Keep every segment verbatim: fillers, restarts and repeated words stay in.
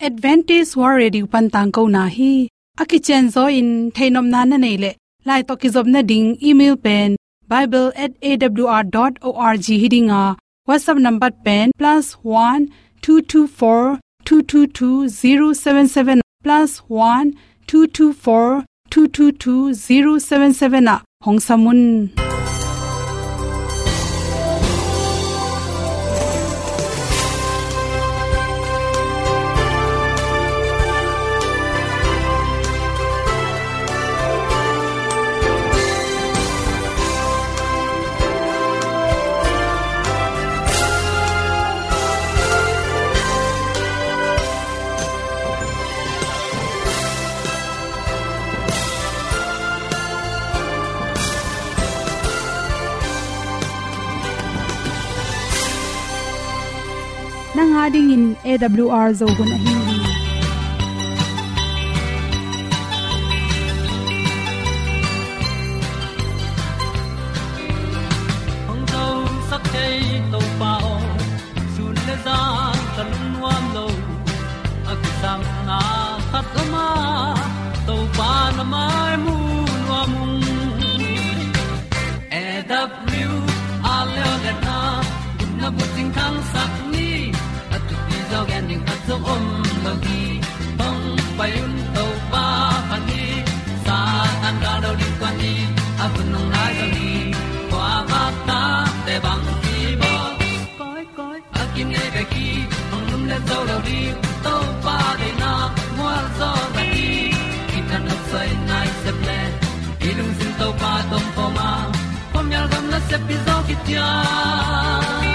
Adventist World Radio pan tangkona hi. A kicianzaw in theihnopna na neih leh, lai tawh kizopna ding email pen bible at A W R dot org hi ding a, WhatsApp number pen plus one two two four two two two zero seven seven, plus one two two four two two two zero seven seven ah hong sam un. Nang a dingin A W R Zo hun ahi hi. Hong zosak thei Topa aw, sun le zan ka lungnuam lo. A kisapna khat om a, Topa na mai mu nuam ung. A W R Zo hun na bucing thangsak ni, a thupi zaw gen ding khat zong om lo hi. Hong pai un Topa phat ni, Satan gal lo ding kuan ni, a hun hong nai zo hi. Kua bak ta te bang ki bawl. Koi, koi, a kinei bek hi, hong lumlet zo lo ding, Topa deihna mual zaw na hi. Kithat nopsai nai sep le, i lungsim Topa tawh kawm a, khuamial gam nasep pi zaw kician.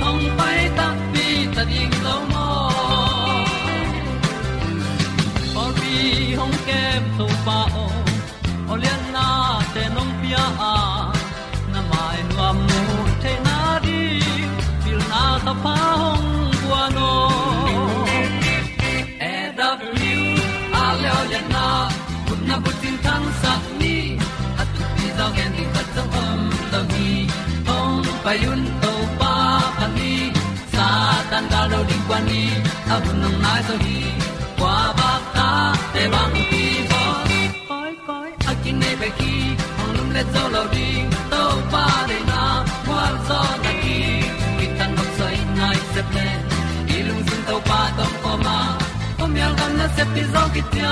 Hong pai takpi ta ding lo maw? Pawlpi hong kem Topa aw, aw liannate nong pia a, na mai nuam mu theihna ding, pilna thapha hong guan aw. A W R Zo hun na bucing thangsak ni, a thupi zaw gen ding khat zong om lo hi. Hong pai un Topa phat ni, Satan gal lo ding kuan ni, a hun hong nai zo hi. Kua bak ta te bang ki bawl. Koi, koi, a kinei bek hi, hong lumlet zo lo ding, Topa deihna mual zaw na hi. Kithat nopsai nai sep le, i lungsim Topa tawh kawm a, khuamial gam nasep pi zaw kician.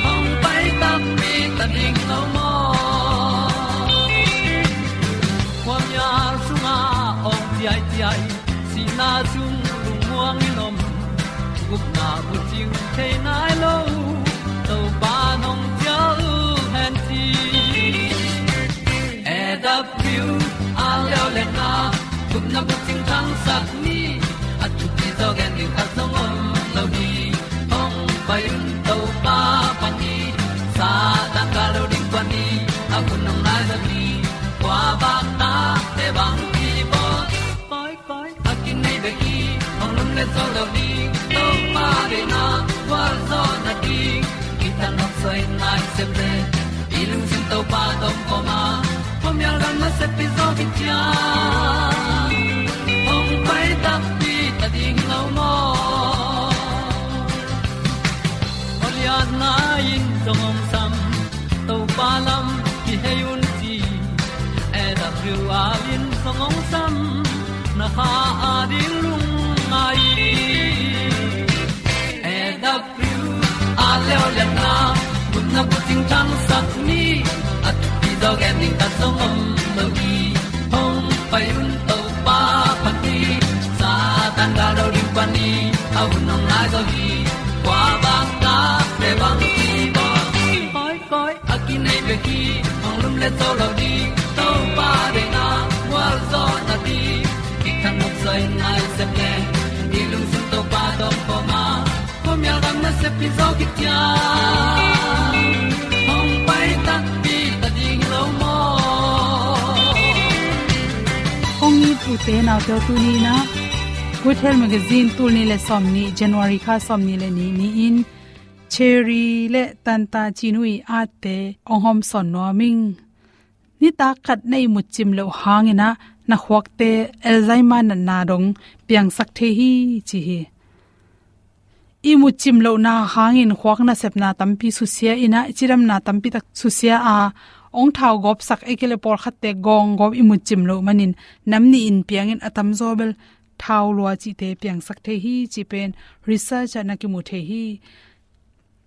Hong pai takpi ta ding lo maw? Khuamial sungah awng ciaiciai, sihna sung lungmuang in om, gupna bucing thei nai lo, Topa nong cial hen ci. A W R Zo hun na gupna bucing thangsak ni, a thupi zaw gen ding khat zong om lo hi. Hong pai un Topa phat ni, Satan gal lo ding kuan ni, a hun hong nai zo hi. Kua bak ta te bang ki bawl. Koi, koi, a kinei bek hi, hong lumlet zo lo ding, Topa deihna mual zaw na hi. Kithat nopsai nai sep le, i lungsim Topa tawh kawm a, khuamial gam nasep pi zaw kician. Hong pai takpi ta ding lo maw? Aw lianna in zong hong sam, Topa lam kihei un ci. A W R in zong hong sam, na kha a ding lungngai. A W R Zo hun na bucing thangsak ni, a thupi zaw gen ding khat zong om lo hi. Hong pai un Topa phat ni, Satan gal lo ding kuan ni, a hun hong nai zo hi. Kua bak ta te bang ki bawl. Koi, koi, a kinei bek hi, hong lumlet zo lo ding, Topa deihna mual zaw na hi. Kithat nopsai nai sep le, i lungsim Topa tawh kawm a, khuamial gam nasep pi zaw kician. Hong pai takpi ta ding lo maw? Kong it ute naute aw, tuni in ah Good Health Magazine tul nih le sawmnih, January kha sawmnih le nih ni-in Cherry le Tanta Cinu ii atte hong hawmsawn nuam ing. Nitak khat na ihmut cim loh hangin ah na khuakte Alzheimer natna dong piangsak thei hi ci hi. i mutcim lohna hangin khuak nasepna tampi susia in ah, i cidamna tampi tak susia a, ong thau gawpsak, ei kei le pawlkhatte gawng gawp i mutcim loh manin nam nih in piangin a tamzaw bel thau lua cihte piangsak thei hi, cih pen research ah na kimu thei hi.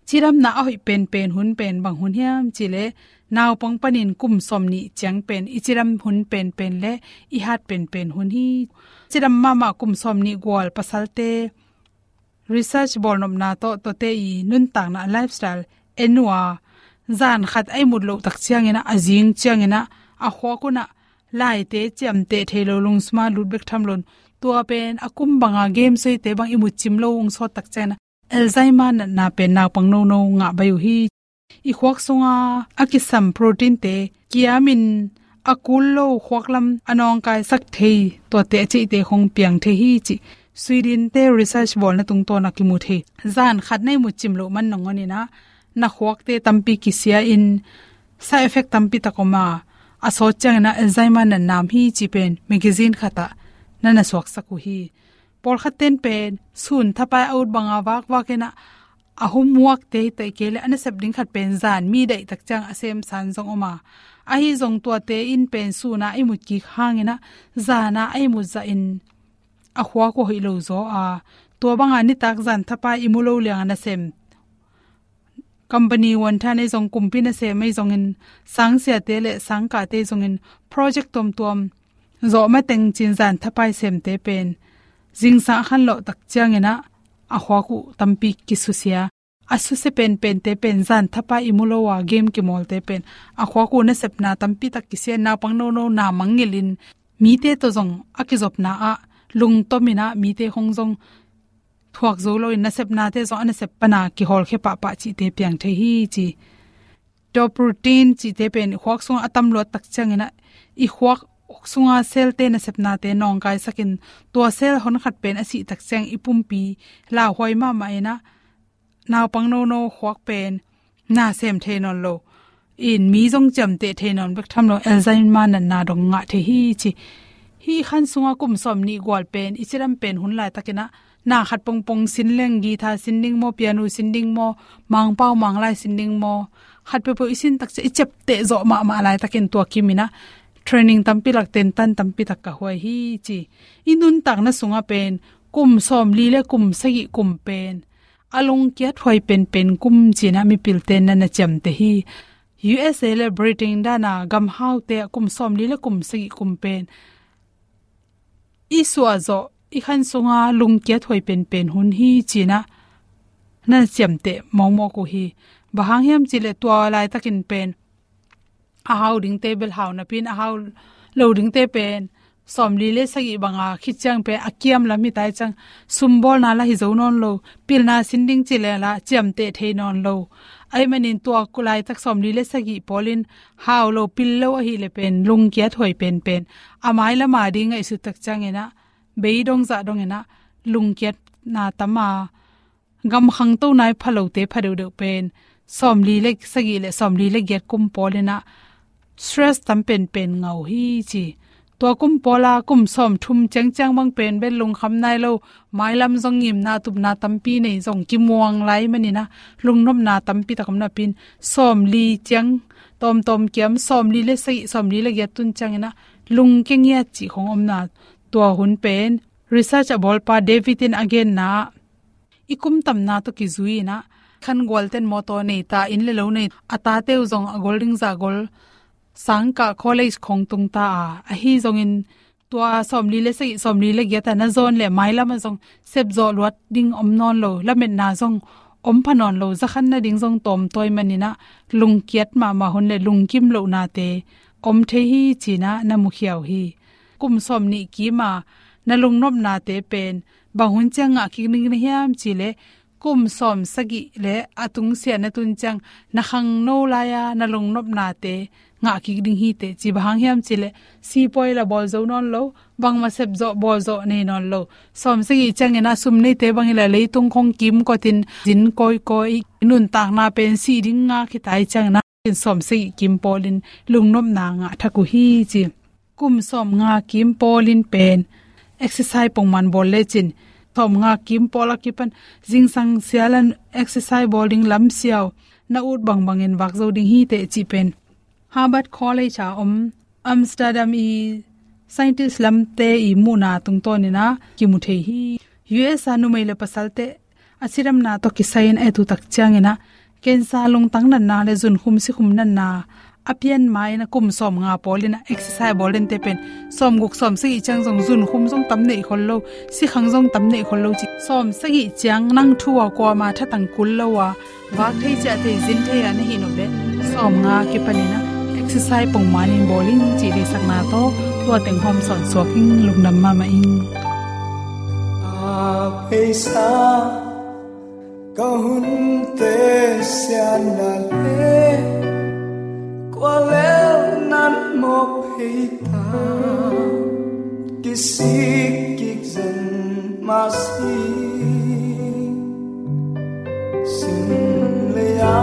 Cidamna a hoih penpen hun pen bang hun hiam cih leh, naupang panin kum sawmnih ciang pen i cidam hun penpen le i hat penpen hun hi. Cidam mahmah kum sawmnih gual pasalte research bawlnopna tawh, tuate i nuntakna, lifestyle en uh a, zan khat a i mut loh tak ciangin ah, a zing ciangin ah, a khuak un ah laite ciamteh thei lo, lungsim a lut bek tham loin, tua pen a kum banga game suaite bang i mutcim lo ung sawt tak ciangin ah, Alzheimer natna pen naupang nono ngah baih uh hi. I khuak sunga a kisam protein te kiamin a kul lo, khuak lam a nawngkaisak thei, tuate a ceihte khong piang thei hi, cih Sweden te research bawlna tungtawn a kimu thei. Zan khat na i mutcim loh man nangawn in ah, na khuakte tampi kisia in, side effect tampi tak om a, a sawt ciangin ah Alzheimer natna om hi, cih pen magazine khat ah na na suaksak uh hi. Pawlkhat ten pen sun thapai a ut banga vakvak in ah, a homework te hi, tua kei le a nasep ding khat pen zan mi daih tak ciang a semsan zong om a, ahi zong tuate in pen sun a i mut kik hangin ah, zan a i mut zahin a khuak uh hoih lo zaw a, tua banga nitak zan thapai i mu lo liang a nasem, company wanthan ei zong, kumpi nasem ei zongin, sangsiate le sangkahte ei zongin, project tuamtuam zawh mateng cin zan thapai semte pen zingsang a khanlawh tak ciangin ah, a khuak uh tampi kisusia. A susia penpente pen zan thapai i mu lo a game kimawlte pen a khuak uh nasepna tampi tak kisia, naupang nono na mangngilhin, mite tawh zong a kizopna ah lungtom in ah, mite khong zong thuak zo loin, nasepnate zong a nasep pana kihawlkhia pahpah cihte piang thei hi, ci. Tua protein cihte pen khuak sungah a tam luat tak ciangin ah, i khuak sunga cell te nasepnate nawngkaisakin, tua cell honkhat pen a sih tak ciang i pumpi lauhuai mahmah in ah, naupang nono khuak pen na sem thei nawn lo in, mi zong ciamteh thei nawn bek tham lo, Alzheimer natna dong ngah thei hi, ci. Hih khan sunga kum sawmnih gual pen i cidam pen hun laitakin ah, na khat pongpong sin leng, guitar sin ding maw, piano sin ding maw, Mangpau Manglai sin ding maw, khat peuhpeuh i sin tak ciang i ciapteh zawh mahmah laitakin, tua kimin ah training tampi lak, tentan tampi tak ka huai hi, ci. I nuntakna sungah pen kum sawmli le kum sagih kum pen a lungkiat huai penpen kum ci-in ah mipilte'n na na ciamteh hi. U S A le Britain dan a gam haute ah kum sawmli le kum sagih kum pen i suah zawh, i khan sunga lungkiat huai penpen hun hi, ci-in ah na na ciamteh mawkmawk uh hi. Bang hang hiam cih leh, tua laitakin pen a hau dingte bel hau napi-in, a hau lo dingte pen sawmli le sagih banga khit ciang pen a kiam lam hi tai ciang, sumbawlna lah hi zo nawn lo, pilna sin ding ci leh lah ciamteh thei nawn lo. Ahih manin tua laitak sawmli le sagih pawlin hau lo, pil lo ahih leh pen lungkiat huai penpen, a mailam a ding ngaihsut tak ciangin ah, beidong zah dongin ah lungkiatna tam a, gam khangto nai pha lote pha deuhdeuh pen sawmli le sagih le sawmli le giat kum pawlin ah stress tam penpen ngah uh hi, ci. Tua kum pawla kum sawmthum ciangciang bang pen bel lungkham nai lo, mailam zong ngimna tupna tampi nei, zong kimuang lai manin ah lungnopna tampi tak om napi-in, sawmli ciang tawmtawm kiam, sawmli le sagih, sawmli le giat tun ciangin ah lungkia ngiat cih khong omna, tua hun pen research a bawlpa David in a genna ah, i kum tamna tawh kizui-in ah, khan gualte'n mawtaw nei ta, inn le lo nei, a tate uh zong a gol ding zah gol, sangkah college khong tung ta a, ahi zongin tua sawmli le sagih, sawmli le giat a na zawn leh mailam ah zong sepzawh luat ding om nawn lo, lametna zong om pha nawn lo, za khan nading zong tawmtawi manin ah lungkiat mahmah hun le lungkim lohnate om thei hi, ci-in ah na mukhia uh hi. Kum sawmnih kim a na lungnopnate pen bang hun ciang ngah kik ding na hiam cih leh, kum sawmsagih le a tungsiah na tun ciang na khangno lai-a na lungnopnate ngah kik ding hi teh, ci. Bang hang hiam cih leh, sipuai lah bawl zo nawn lo, bangmah sepzawh bawlzawh nei nawn lo. Sawmsagih ciangin ah sum neite bang hi leh leitung khong kimkotin zin kawikawi, nuntakna pen sih ding ngak hi tai ciangin ah, sawmsagih kim pawlin lungnopna ngah thak uh hi, ci. Kum sawmnga kim pawlin pen exercise pongman bawl lecin sawmnga kim pawl a kipan zingsang sialan exercise bawl ding lam siau na ut bangbangin vak zo ding hi teh cih pen Harvard College a om Amsterdam i scientist lamte i muhna tungtawnin ah kimu thei hi. U S a numei le pasalte a cidamna tawh kisai-in a et uh tak ciangin ah cancer, lungtang natna le zunkhum sikhum natna a pian ma-in ah kum sawmnga pawlin ah exercise bawl dente pen sawmguk sawmsagih ciang zong zunkhum zong tam neih khol lo, sikhang zong tam neih khol lo ci. Sawmsagih ciang nang thu a kuama thatang kul lo a vak thei ciah thei zin thei a na hih nop leh sawmnga kipanin ah exercise pongmanin bawl in cih deihsakna tawh tua teng hawm sawn suak ing. Lungdam mahmah ing. A pheisa ka hunte sianna le kua lel nan mawk phei ta, kisik kik zen mah si. Sim lei-a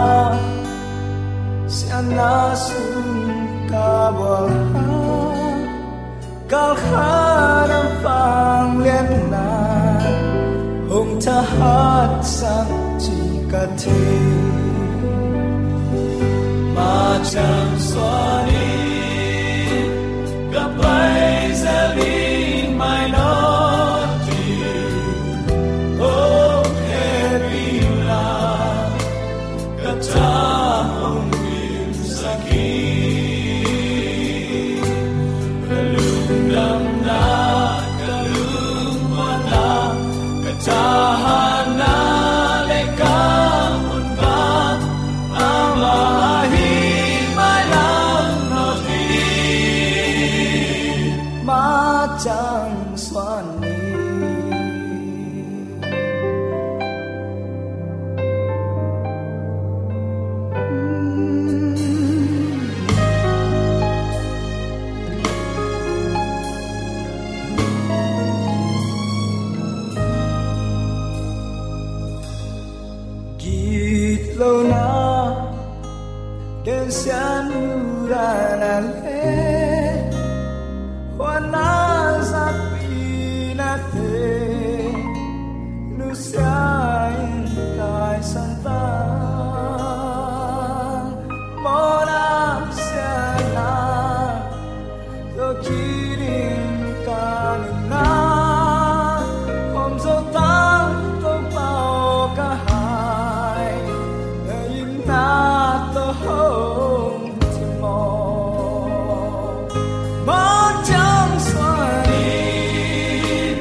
sianna sung ka bual a, kal khat a vangliatna hong thahatsak ci ka thei. Macang suan in ka pai zel ding mai nawn ding, hong hehpihna ka tha hong dimsak hi. Ka lungdamna, ka lungmuanna, ka thahatna le ka honpa, amah ahi mailam nawn ding. Macang suan ni. Gitlona, gensiatna le huatna, zakpinate nusia in taisan ta. Mawhna, siatna tawh kiding ka nunna, hawm zo tang Topa aw ka hai, na itna tawh hong thim maw. Macang suan in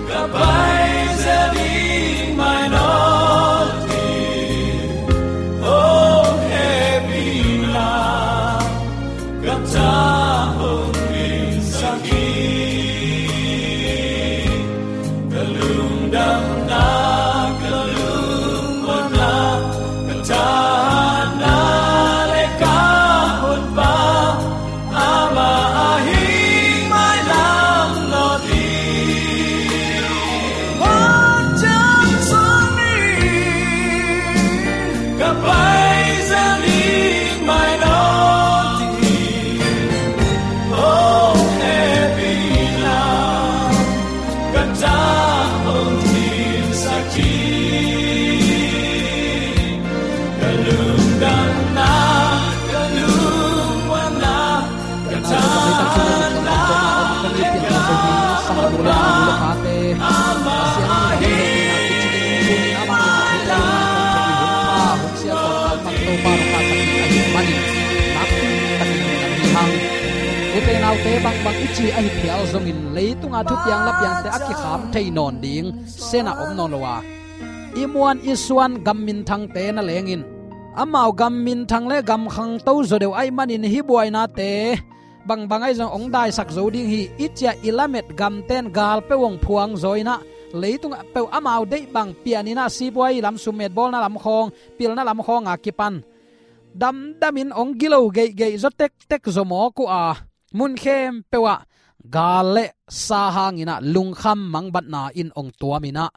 ka pai zel ding mai nawn ding, hong hehpihna ka tha hong dimsak hi. Ka lungdamna, ka lungmuanna, ka thahatna le ka honpa, amah ahi mailam nawn ding. Macang suan in ka pai zel ding mai nawn ding, hong hehpihna ka tha hong dimsak hi. Ka lungdamna, ka lungmuanna, ka thahatna le ka honpa, Pasian in hong hehpihna kici ding, amah in hong hehpihna hong thei, hong pha, hong siat hong tangman Topa hong pha sak ding ahih manin, nakpi takin lungdam hi hang. Ute naute, bangbang i ci ahi phial zongin, leitunga thupiang lapiangte a kikham thei nawn ding sen ah om nawn lo a, i muan i suan gam minthangte na lengin, amau gam minthang le gam khangto zaw deuh ahih manin hih buainate bangbang ahi zong hong daisak zo ding hi. I ciah i lamet gamten gal peuh hong phuang zaw in ah, leitung peuh amau deih bang pian in ah, sipuai lam, summet bawlna lam khawng, pilna lam khawng a kipan damdamin hong gilo geihgeih zaw tektek zaw mawk uh a, mun khempeuh ah gal le sa hangin ah lungkham mangbatna in hong tuam in ah,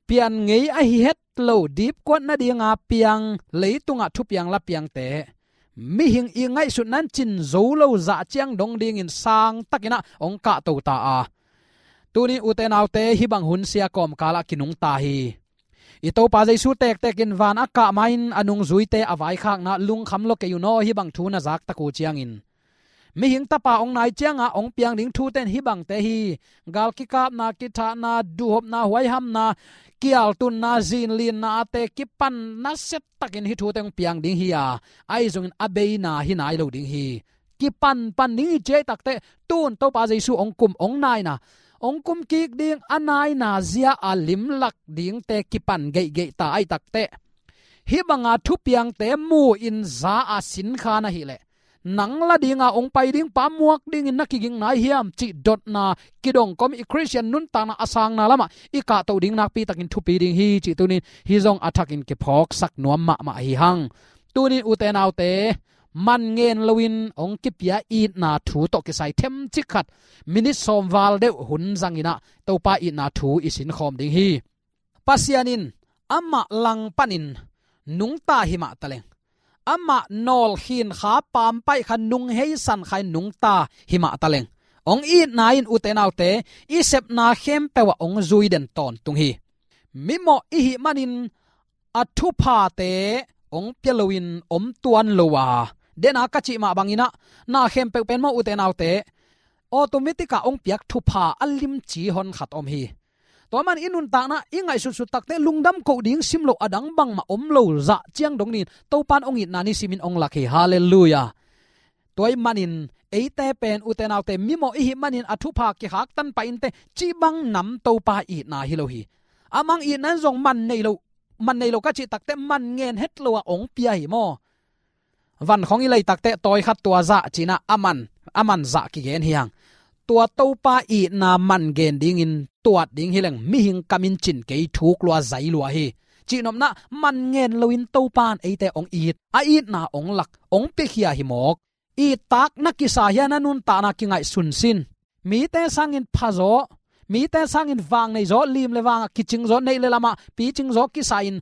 pian ngei ahi het lo, dipkuat nadinga piang leitungah thupiang lapiangte, mihing i ngaihsutna in cin zo lo zah ciang dong dingin sang takin ah hong kahto ta a, Tuni ute naute, hih bang hun sia kawmkal ah kinungta hi. I Topa Jesu tektek in van a kah ma-in a nungzuite a vaikhakna lungkham lua kei un aw, hih bang thu na zaktak uh ciangin. Mihing Tapa hong nai cianga hong piang ding thute in hih bangte hi. Gal kikapna, kithahna, duhhopna, huaihamna, kialtunna, zinlinna ate kipan nasia takin hih thute hong piang ding hi a, ahi zongin a beina hi nai lo ding hi. Kipanpan ding hi ci ahih takteh, tun Topa Jesu hong kum, hong naina, hong kum kik ding, a naina zia a limlak dingte kipan geihgeih ta ahih takteh, hih banga thupiangte mu-in za a sinkha na hih leh, nang la dinga hong pai ding pa muak dingin na kiging nai hiam cih dotna kidong kawm, i Khristian nuntakna a sangna lamah i kahtoh ding nakpi takin thupi ding hi cih tunin hih zong a thakin kiphawksak nuam mahmah hi hang. Tunin ute naute, man ngen loin hong kipia itna thu tawh kisai themcik khat, minit sawm val deuh hun zangin ah Topa itna thu i sinkhawm ding hi. Pasian in amah langpanin nungta hi mah taleng, amah nawlkhin kha pampaih kha nungheisan kha in nungta hi mah taleng, hong itna in ute naute, i sepna khempeuh ah hong zui den tawntung hi. Mimawh i hih manin a thuphate hong pia loin om tuan lo a, dena ka cih mah bangin ah, na khempeuh pen maw ute naute, automatic ah hong piak thupha a limci hon khat om hi. Tua man i nuntakna i ngaihsutsut takteh lungdam koh ding sim loh a dang bangmah om lo zah ciang dong nin Topan hong itna nisimin hong lak hi. Halleluiah. Tua ahih manin eite pen ute naute, mimawh i hih manin a thupha kikhaktan pah inteh cih bang nam Topa itna hi lo hi. Amah hong itna in zong man nei lo, man nei lo ka cih takteh man ngen het lo a hong pia hi maw. Van khawng i lei takteh tawi khat tua zah ci-in ah a man, a man zah kigen hi hang. Tua Topa itna man gen dingin tuat ding hi leng mihing kamin cin kei, thuk lua zai lua hi. Cihnopna, man ngen loin Topan eite hong it, a itna hong lak, hong piakhia hi mawk. Ittak na kisa hia, na nuntakna kingaihsun sin. Mite sangin phazaw, mite sangin vang neizaw, lim le vangah kicingzaw, neih le lamah picingzaw kisa-in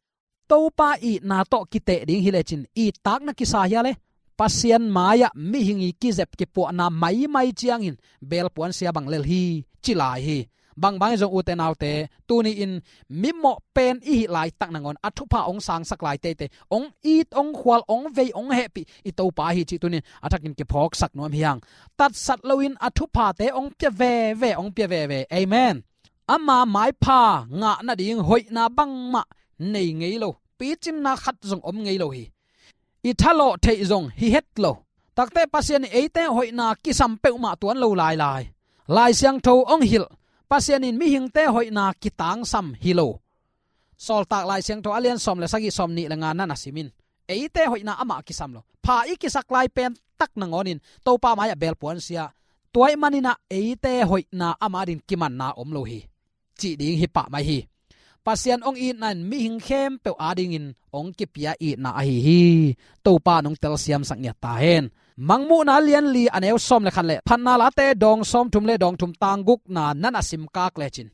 Topa itna tawh kiteh ding hi lecin ittak na kisa hia le? Pasian mai-ah mihing i kizep kipuahna maimai ciangin belpuan sia bang lel hi, ci lai hi. Bangbang hi zong ute naute, tuni-in mimawh pen i hih laitak nangawn a thupha hong sangsak lai teitei, hong it, hong khual, hong vei, hong hehpih i Topa hi cih tunin a thakin kiphawksak nuam hi hang. Tatsat loin a thuphate hong pia veve, hong pia veve. Amen. Ama maipha ngah nading hoihna bangmah nei ngei lo, picinna khat zong om ngei lo hi. I thalawh theih zong hi het lo. Takteh Pasian in eite hoihna kisam peuhmah tuan lo lailai. Lai Siangtho hong hilh, Pasian in mihingte hoihna kitangsam hi lo. Sawltak Lai Siangtho a lian sawm le sagih, sawm nih le nga na na sim in. Eite hoihna amah kisam lo. Pha i kisak lai pen tak nangawnin Topa mai-ah belpuan sia. Tua ahih manin ah eite hoihna amah adingin kimanna om lo hi, cih ding hi pah mai hi. Pasian hong itna in mihing khempeuh adingin hong kipia itna ahi hi. Topa in hong telsiamsak ngiat ta hen. Mangmuhna lian li a neu sawm le khat le Phatna Late dawng sawmthum le dawng thum tang gukna na na simkak lecin,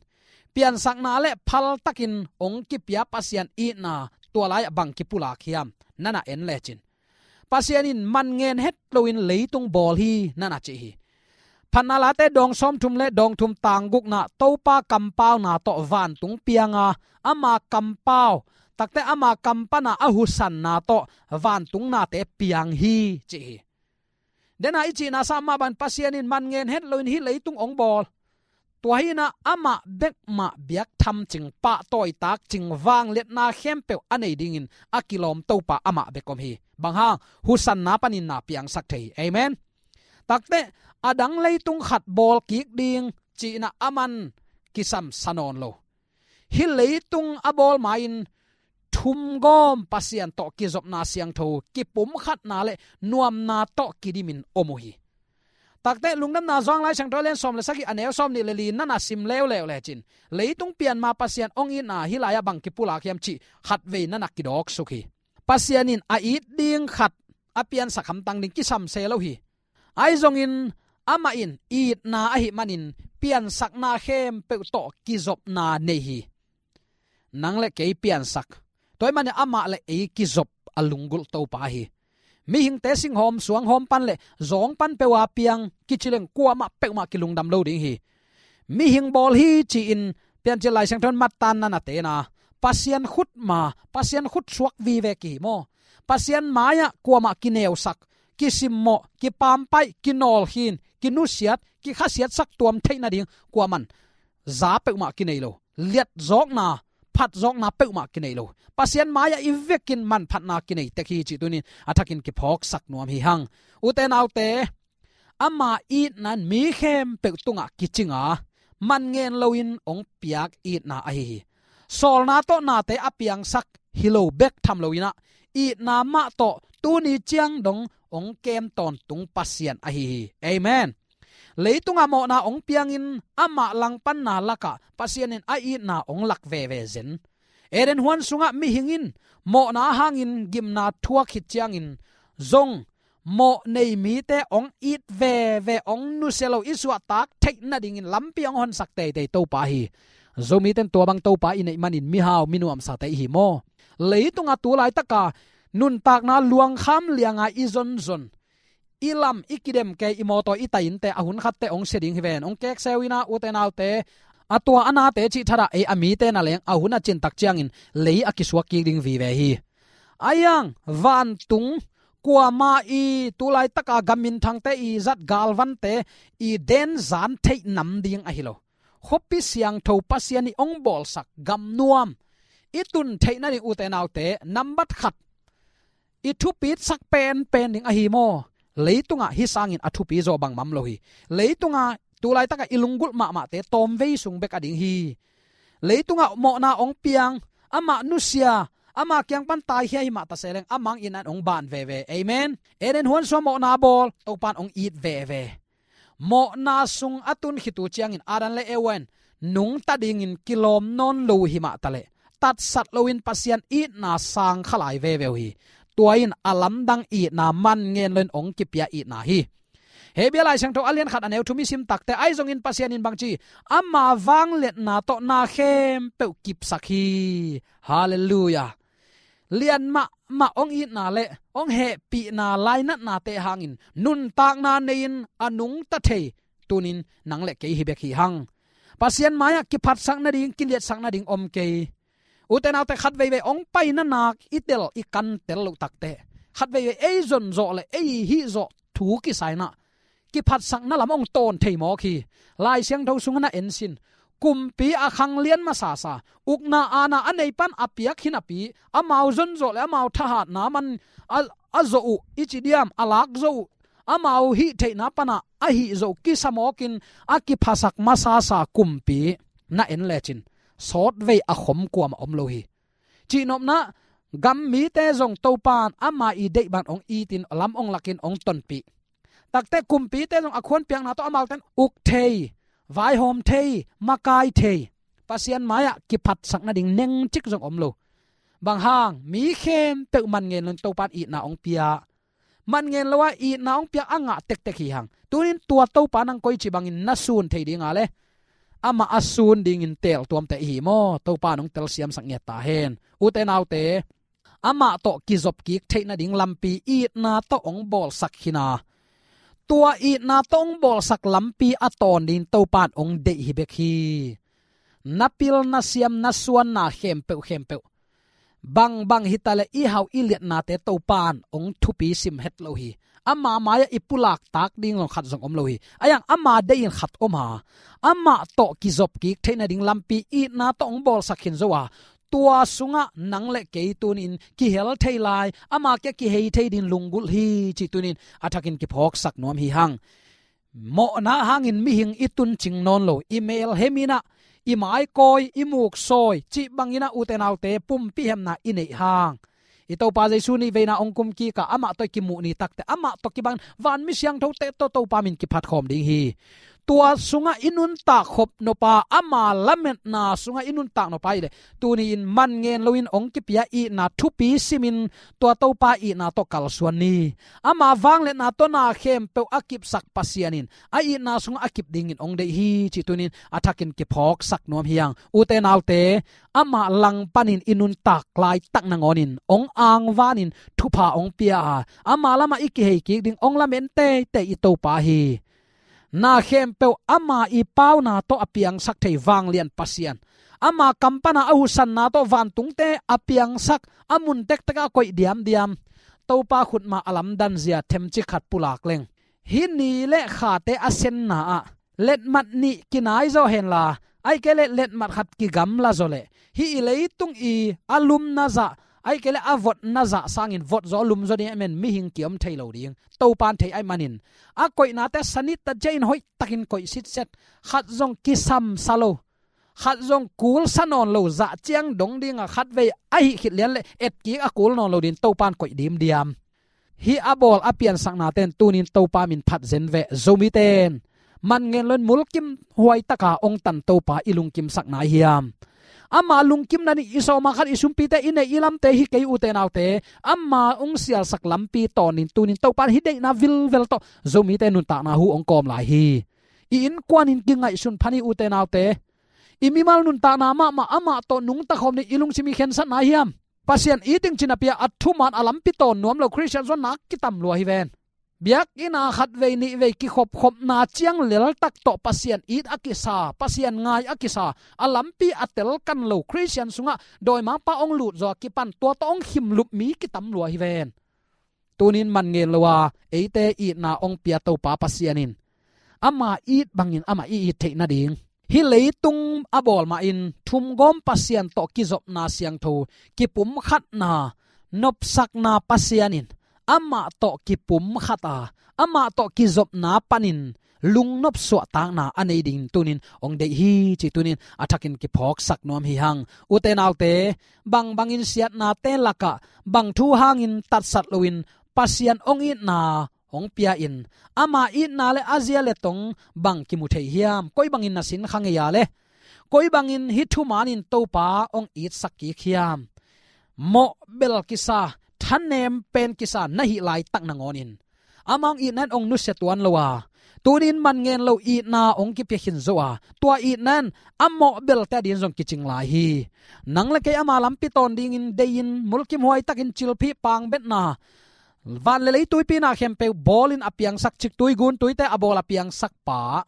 piansakna le phaltakin hong kipia Pasian itna tua lai-ah bang kipulak hiam na na en lecin, Pasian in man ngen het loin leitung bawl hi na na ci hi. Phatna Late dawng sawmthum le dawng thum tang gukna, Topa kampauna tawh vantung pianga, ama kampau, takteh ama kam pana a husanna tawh vantung nate piang hi ci hi. Dena i cihna sa mah bang, Pasian in man ngen het loin hih leitung hong bawl. Tua hi-in ah amah bek mah biak tham cing, pahtawi tak cing, vangliatna khempeuh a nei dingin a kilawm Topa amah bek om hi. Bang hang, husanna panin na piangsak thei hi. Amen. Takteh, a dang leitung khat bawl kik ding ci-in ah aman kisam sa nawn lo. Hih leitung a bawl ma-in thumgawm Pasian tawh kizopna siangtho, kipumkhatna le nuamna tawh kidimin om uh hi. Takteh Lungdamna Johan Lai Siangtho a lian sawm le sagih a neu sawm nih le li na na sim leuleu lecin, leitung pian ma Pasian hong itna hih lai-ah bang kipulak hiam cih khatvei na na kidawksuk hi. Pasian in a it ding khat a piansak hamtang ding kisam se lo hi. Ahi zongin amah in itna ahih manin piansakna khempeuh tawh kizopna nei hi. Nang le kei piansak. Tua ahih manin amah le ei kizop a lunggulh Topa hi. Mihingte singhawm suanghawm pan le zawng pan peuh a piang kici leng kuamah peuhmah kilungdam lo ding hi. mihing bawl hi ci-in Piancil Lai Siangtho in mattaanna na tena, Pasian khut ma, Pasian khut suak vive kihi maw? Pasian mai-ah kuamah kineusak, kisimmawh, kipampaih, kinawlkhin, kinusiat, kikhasiatsak tuam theih nading kuaman za peuhmah kinei lo. Liatzawkna, phatzawkna peuhmah kinei lo. Pasian mai-ah i vekin manphatna kinei tek hi cih tunin a thakin kiphawksak nuam hi hang. Ute naute, ama itna in mi khempeuh tungah kicinga, man ngen loin hong piak itna ahi hi. Sawlna tawh nate a piangsak hi lo bek tham loinah, itna mah tawh tuni ciang dong hong kem tawntung Pasian ahi hi. Amen. Leitungah mawhna hong piangin amah langpanna lakah Pasian in a itna hong lak veve zen. Eden huan sungah mihing in mawhna hangin gimna thuak khit ciangin zong mawh nei mite hong it veve, hong nusia lo, i suahtak theih nadingin lampi hong honsak teitei Topa hi. Zomite in tua bang Topa i neih manin mihau minuamsate i hi maw? Leitungah tu laitaka nuntakna luangkham lianga i zonzon, i lam, i kidem kei, i mawtaw, i tai innte a hun khatte hong sia ding hi ven, hong kekseu inah ute naute, a tua a nate cih thadah ei a mite na leng a hun a cintak ciangin lei a kisuak kik ding vive hi. Aiang vantung kuama i tu laitaka gam minthangte i zat galvante i denzan theih nam ding ahi lo. Khuapi siangtho Pasian i hong bawlsak gam nuam i tun theih nading ute naute, nambat khat i thupitsak penpen ding ahi maw? Leitungah hih sangin a thupi zaw bangmah om lo hi. Leitungah tu laitaka i lunggulh mahmahte tawmvei sung bek a ding hi. Leitungah mawhna hong piang, amah nusia, ama kiang pan taikhia hi mah ta se leng, amah itna in hong ban veve. Amen. Eden huan sungah mawhna bawl, Topa in hong it veve. Mawhna sung a tun khit uh ciangin Adam le Eva in nungta dingin kilawm nawn lo hi mah ta leh, tatsat loin Pasian itna sang kha lai veve uh hi. Tua in a lamdang itna, man ngen loin hong kipia itna hi. Hebru Lai Siangtho a lian khat a neu thum i sim takte, ahi zongin Pasian in bangci, ama vangliatna tawh na khempeuh kipsak hi. Halleluiah. Lian mahmah hong itna le hong hehpihna lainatnate hangin nuntakna nei-in a nungta thei tunin nang le kei hi bek hi hang. Pasian mai-ah kiphatsak nading, kiliatsak nading om kei. Ute naute, khat veivei hong paina nak i tel, i kantel loh takte, khat veivei ei zonzawh le ei hihzawh thu kisai inah kiphatsakna lam hong tawn thei mawk hi. Lai Siangtho sungah na en sin, kumpi a khanglian masasa, ukna aana a nei pan a piak hi napi, amau zonzawh le amau thahatna man a, a zawh uh i ci diam, a lak zawh uh, amau hih theihna panah a hih zawh uh kisa mawkin a kiphasak masasa kumpi na en lecin sawtvei a khom kuamah om lo hi. Cihnopna, gam mite zong Topa in ama i deih ban hong itin, lam hong lakin hong tonpih takte, kumpite zong a khuanpiakna tawh amaute in uk thei, vaihawm thei, makai thei. Pasian mai-ah kiphatsak nading nengcik zong om lo. Bang hang? Mi khempeuh man ngen loin Topa in itna hong pia, man ngen lo a itna hong piak a ngah tektek hi hang. Tunin tua Topa nang koici bangin na sun thei dinga le amah a sun dingin teel tuamte i hi maw? Topa in hong telsiamsak ngiat ta hen. Ute naute, amah tawh kizop kik theih nading lampi itna tawh hong bawlsak hi a, tua itna tawh hong bawlsak lampi a tawn dingin Topa in hong deih hi bek hi. Na pil, na siam, na suanna khempeuh khempeuh, bangbang hi ta leh i hau i liatnate Topa in hong thupi sim het lo hi. Ama mai-ah i pulak tak ding zong khat zong om lo hi. Aiang ama deih in khat om a, amah tawh kizop kik theih nading lampi itna tawh hong bawlsak khin zo a, tua sungah nang le kei tunin kihel thei lai, ama kia kihei thei dingin lunggulh hi cih tunin a thakin kiphawksak nuam hi hang. Mawhna hangin mihing i tuncing nawn lo, i melhem inah, i maikawi, i muksawi cih bangin ah, ute naute, pumpi hemna i neih hang, i Topa Jesu nih veina hong kum kik a, amah tawh i kimuh ni takte, amah tawh kibang vanmi siangthote tawh Topa min kiphat khawm ding hi. Tua sungah i nuntak khop nop a, ama lametna sungah i nuntak nop a i leh, tuni-in man ngen loin hong kipia itna thupi simin tua Topa itna tawh kalsuan ni. Ama vangliatna tawh na khempeuh a kipsak Pasian in a itna sungah a kip dingin hong deih hi cih tunin a thakin kiphawksak nuam hi hang. Ute naute, amah langpanin i nuntak laitak nangawnin hong angvanin thupha hong pia a, ama lamah i kihei kik ding hong lamen teitei i Topa hi. Na khempeuh ama i pauna tawh a piangsak thei vanglian Pasian, ama kam pana a huhsanna tawh vantungte a piangsak, a mun tektek a koih diamdiam Topa khutma a lamdan zia themci khat pulak leng, hih ni le khate a senna ah letmat nih kinai zaw henla, ahih kei leh letmat khat kigamla zaw leh, hih i leitung i a lumna zah, ahih kei leh a votna zah sangin vot zaw lum zaw ding ahih manin mihing kiom thei lo ding Topan thei ahih manin, a koihnate sanit ta ciangin hoihtakin koih sitset, khat zong kisamsa lo, khat zong kulsa nawn lo, zah ciang dong dinga khatvei ahih khit lian leh etkik a kul nawn lo dingin Topan koih dimdiam. Hih a bawl a piansaknate'n tunin Topa min phat zen veh. Zomite'n man ngen loin mulkimhuai taka hong tan Topa i lungkimsak nai hiam? Ama lungkimna ding i sawma khat i sumpite, i neih i lamte hi kei, ute naute, ama hong sialsak lampi tawnin tunin Topa'n hih deihna vilvel tawh Zomite nuntakna hu hong kawm lai hi. I innkuanin kingaihsun phan hi, ute naute. I mimal nuntakna mahmah amah tawh nungta khawm ding i lungsim i khensat nai hiam? Pasian it ding ci-in a pia, a thuman a lampi tawn nuam lo Khristian zong nak kitam lua hi ven. Biakinn ah khatvei nihvei kikhopkhopna ciang leltak tawh Pasian it a kisa, Pasian ngai a kisa, a lampi a telkan lo Khristian sungah dawimangpa hong lut zawh a kipan, tua tawh hong khimlup mi kitam lua hi ven. Tunin man ngen lo a, eite itna hong pia Topa Pasian in ama it bangin amah i it theih nading, hih leitung a bawl mahin thumgawm Pasian tawh kizopna siangtho, kipumkhatna, nopsakna Pasian in amah tawh kipumkhat a, amah tawh kizopna panin lungnop suahtakna a nei dingin tunin hong deih hi, ci tunin a thakin kiphawksak nuam hi hang. Ute naute, bangbangin siatnate lakah bang thu hangin tatsat loin Pasian hong itna hong pia in, ama itna le a zia le tong bang kimu thei hiam? Koi bangin na sin kha ngei a le, koi bangin hih thumanin Topa hong itsak kik hiam? Mawhbel kisa, thanem pen kisa na hih laitak nangawnin ama hong itna in hong nusia tuan lo a, tunin man ngen lo itna hong kipia khin zo a, tua itna in a mawhbelte adingin zong kicing lai hi. Nang le kei ama lampi tawn dingin deihin, mulkimhuai takin cilphih pangbetna, van le lei tuipi na khempeuh bawlin a piangsak, ciktui guntuite a bawl a piangsak pa,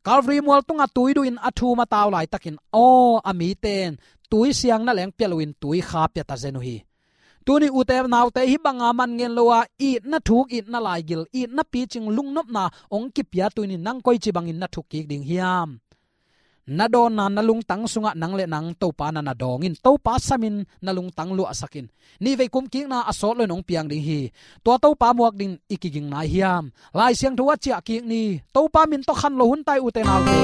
Calvary mual tungah tui duhin a thum a tau laitakin, aw, a mite'n tui siang na leng pia loin tui kha pia ta zen uh hi. Tuni ute naute, hih banga man ngen lo a, itna thuk, itna laigil, itna picing, lungnopna hong kipia tunin nang koici bangin na thuk kik ding hiam? Na dawnna, na lungtang sungah nang le nang Topa na na dawngin, Topa samin na lungtang luahsakin, nihvei kumkikna a sawt loin hong piang ding hi. Tua Topa muak dingin i kiging nai hiam? Lai Siangtho ah ciah kik ni. Topa min tawh khan lo hun tai, ute naute.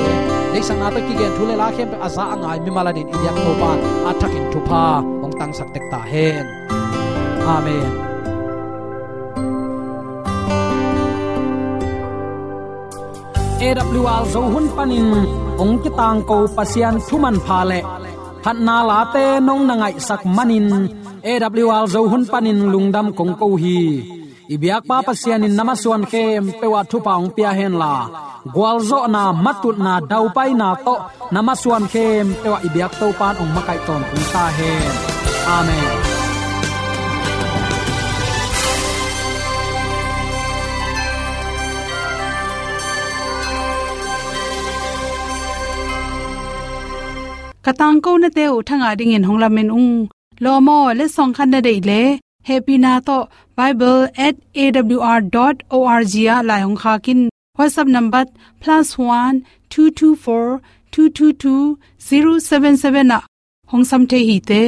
Deihsakna tawh kigen thu le la khempeuh a za a ngai mimal adingin i biak Topa a thakin thupha hong tangsak tek ta hen. Amen. A W R Zo hun panin hong kitangko Pasian thu manpha le phatna late nong na ngaihsak manin, A W R Zo hun panin lungdam kong ko hi. I biakpa Pasian in na masuan khempeuh ah thupha hong pia henla, gualzawhna, matutna, daupaina tawh na masuan khempeuh ah i biak Topa'n hong makaih tawntung ta hen. Amen. Ka tangko nate uh thangah dingin hong lamen ung. Lawm aw, letsong khat na deih le hehpihna tawh bible at A W R dot O R G ah lai hong khak in. WhatsApp number plus one two two four two two two zero seven seven ah hong sam thei hi te.